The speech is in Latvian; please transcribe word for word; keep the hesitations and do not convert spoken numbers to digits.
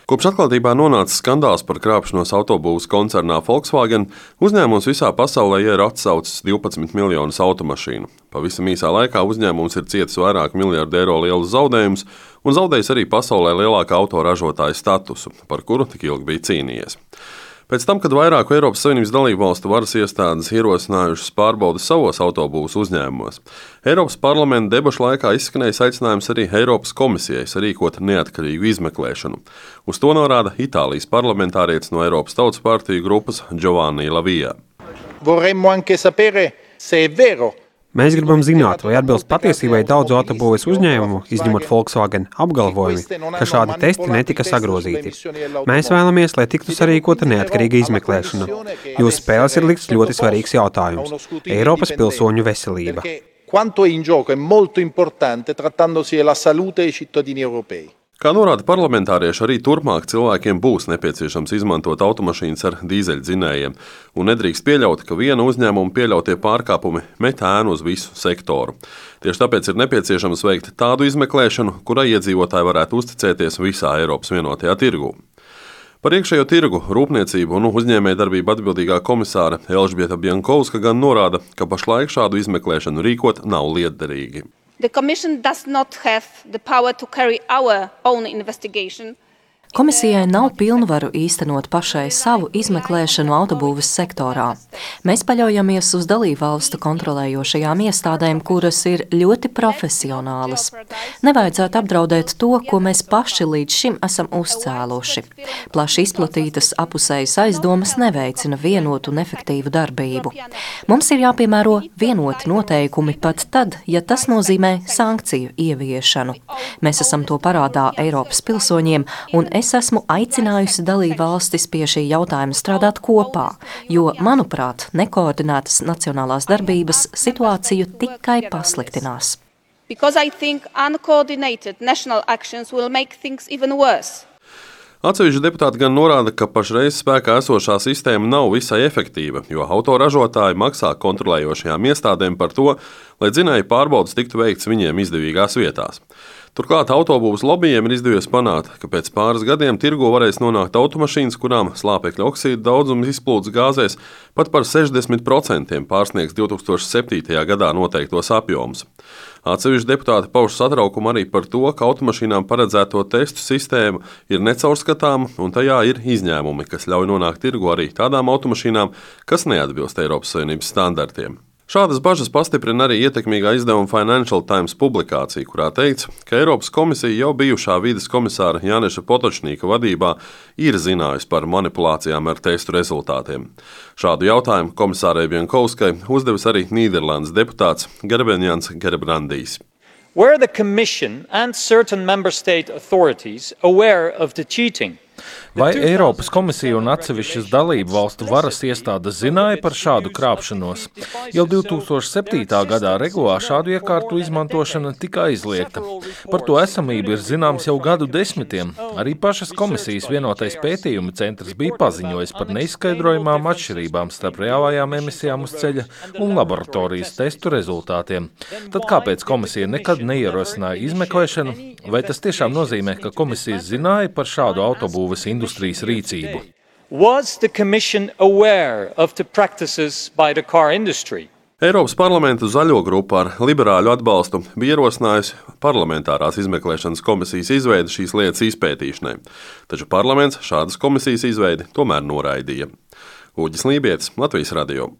Kopš atklātībā nonāca skandāls par krāpšanos autobūvas koncernā Volkswagen, uzņēmums visā pasaulē ir atsaucis divpadsmit miljonus automašīnu. Pavisam īsā laikā uzņēmums ir cietis vairāk miljardu eiro lielus zaudējumus un zaudējis arī pasaulē lielākā autoražotāja statusu, par kuru tik ilgi bija cīnījies. Pēc tam, kad vairāku Eiropas Savienības dalībvalstu varas iestādes ierosinājušas pārbaudi savos autobūvas uzņēmumos, Eiropas parlamenta debašu laikā izskanējis aicinājums arī Eiropas komisijai sarīkot neatkarīgu izmeklēšanu. Uz to norāda Itālijas parlamentārietis no Eiropas Tautas partiju grupas Giovanni La Via. Vorremmo anche sapere se è vero. Mēs gribam zināt, vai atbilst patiesībai daudzu autobūves uzņēmumu, izņemot Volkswagen, apgalvojumi, ka šādi testi netika sagrozīti. Mēs vēlamies, lai tiktu sarīkota neatkarīga izmeklēšana. Jūsu spēles ir likts ļoti svarīgs jautājums – Eiropas pilsoņu veselība. Quanto è in gioco è molto importante trattandosi della salute dei cittadini europei. Kā norāda parlamentārieši, arī turpmāk cilvēkiem būs nepieciešams izmantot automašīnas ar dīzeļdzinējiem, un nedrīkst pieļaut, ka viena uzņēmuma pieļautie pārkāpumi met ēnu uz visu sektoru. Tieši tāpēc ir nepieciešams veikt tādu izmeklēšanu, kurai iedzīvotāji varētu uzticēties visā Eiropas vienotajā tirgū. Par iekšējo tirgu, rūpniecību un uzņēmējdarbību atbildīgā komisāre Elžbieta Bjankovska gan norāda, ka pašlaik šādu izmeklēšanu rīkot nav lietderīgi. The Commission does not have the power to carry our own investigation. Komisijai nav pilnvaru īstenot pašai savu izmeklēšanu autobūves sektorā. Mēs paļaujamies uz dalībvalstu kontrolējošajām iestādēm, kuras ir ļoti profesionālas. Nevajadzētu apdraudēt to, ko mēs paši līdz šim esam uzcēluši. Plaši izplatītas apusējas aizdomas neveicina vienotu un efektīvu darbību. Mums ir jāpiemēro vienoti noteikumi pat tad, ja tas nozīmē sankciju ieviešanu. Mēs esam to parādā Eiropas pilsoņiem, un es esmu aicinājusi dalībvalstis pie šī jautājuma strādāt kopā, jo, manuprāt, nekoordinētas nacionālās darbības situāciju tikai pasliktinās. Because I think uncoordinated national actions will make things even worse. Atsevišķi deputāti gan norāda, ka pašreiz spēkā esošā sistēma nav visai efektīva, jo autoražotāji maksā kontrolējošajām iestādēm par to, lai dzinēju pārbaudes tiktu veikts viņiem izdevīgās vietās. Turklāt autobūvas lobbyiem ir izdevies panākt, ka pēc pāris gadiem tirgo varēs nonākt automašīnas, kurām slāpekļa oksīda daudzums izplūdes gāzēs pat par sešdesmit procentiem pārsniegs divs tūkstoši septītajā gadā noteiktos apjomus. Atsevišķi deputāti pauž satraukumu arī par to, ka automašīnām paredzēto testu sistēma ir necaurskatāma un tajā ir izņēmumi, kas ļauj nonākt tirgu arī tādām automašīnām, kas neatbilst Eiropas Savienības standartiem. Šādas bažas pastiprina arī ietekmīgā izdevuma Financial Times publikācija, kurā teikts, ka Eiropas komisija jau bijušā vides komisāra Janeša Potočnika vadībā ir zinājusi par manipulācijām ar testu rezultātiem. Šādu jautājumu komisārei Bjankovskai uzdevis arī Nīderlandes deputāts Gerbenjans Gerbrandijs. Were the Commission and certain member state authorities aware of the cheating? Vai Eiropas komisija un atsevišķas dalību valstu varas iestādes zināja par šādu krāpšanos? Jau divi tūkstoši septītā gadā regulā šādu iekārtu izmantošana tika aizliegta. Par to esamību ir zināms jau gadu desmitiem. Arī pašas komisijas vienotais pētījuma centrs bija paziņojis par neizskaidrojumām atšķirībām starp reālajām emisijām uz ceļa un laboratorijas testu rezultātiem. Tad kāpēc komisija nekad neierosināja izmeklēšanu? Vai tas tiešām nozīmē, ka komisija zināja par šādu autobūves industrijas rīcību? Was the Commission aware of the practices by the car industry? Eiropas parlamenta zaļo grupa ar liberāļu atbalstu bija ierosinājusi parlamentārās izmeklēšanas komisijas izveidi šīs lietas izpētīšanai, taču parlaments šādas komisijas izveidi tomēr noraidīja. Uģis Lībietis, Latvijas radio.